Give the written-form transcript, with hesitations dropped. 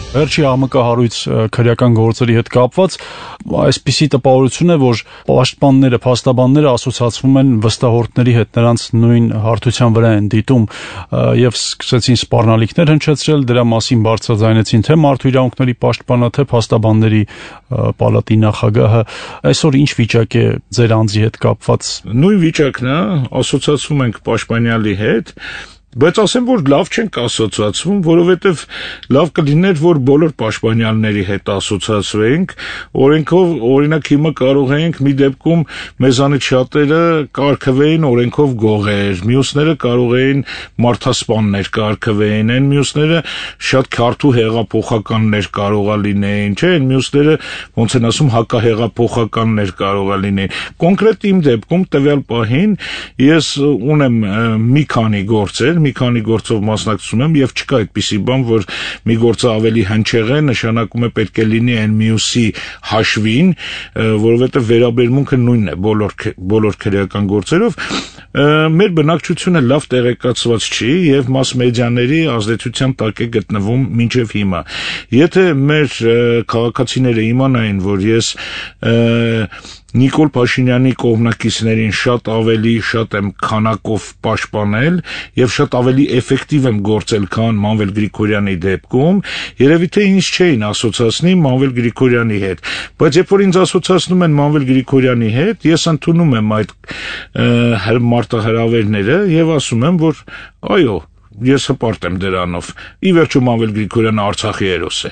Վերջի աղմկահարույց քրեական գործերի հետ կապված այսպիսի տպավորություն է, որ պաշտպանները, փաստաբանները ասոցացվում են վստահորդների հետ, նրանց նույն հարթության վրա են դիտում եւ սկսեցին սպառնալիքներ հնչեցրել, դրա մասին բարձրաձայնեցին թե Մարդու իրավունքների պաշտպանը, թե փաստաբանների պալատի նախագահը։ Այսօր ինչ վիճակ է ձեր անձի հետ կապված։ Նույն վիճակն է, ասոցացվում ենք պաշտպանյալի հետ, բայց ասեմ, որ լավ չենք ասոցացվում, որովհետև լավ կլիներ, որ բոլոր պաշտպանյալների հետ ասոցացվենք, օրենքով, օրինակ հիմա կարող ենք մի դեպքում մեզանից շատերը կարգվեին օրենքով գողեր, մյուսները կարող էին մարդասպաններ կարգվեին, այն մյուսները շատ քարտու հեղափոխականներ կարողա լինեին, չէ՞, այն մյուսները ոնց են ասում հակահեղափոխականներ կարողա լինեին։ Կոնկրետ իմ դեպքում տվյալ պահին ես ունեմ մի քանի գործեր, մի քանի գործով մասնակցում եմ եւ չկա այդպիսի բան, որ մի գործը ավելի հնչեղ է, նշանակում է պետք է լինի այն մյուսի հաշվին, որովհետեւ վերաբերմունքը նույնն է բոլոր քրեական գործերով։ Մեր բնակչությունը լավ տեղեկացված չի եւ մաս-մեդիաների ազդեցության տակ է գտնվում մինչեւ հիմա։ Եթե մեր քաղաքացիները իմանային, որ ես Նիկոլ Փաշինյանի կողմնակիցներին շատ եմ քանակով պաշտպանել եւ շատ ավելի էֆեկտիվ եմ գործել, քան Մանվել Գրիգորյանի դեպքում, երևի թե ինձ չէին ասոցացնի Մանվել Գրիգորյանի հետ, բայց երբ որ ինձ ասոցացնում են Մանվել Գրիգորյանի հետ, ես ընդունում եմ այդ մարտահրավերները եւ ասում եմ, որ այո, ես հպարտ եմ դրանով։ Ի վերջո Մանվել Գրիգորյանը Արցախի հերոս է։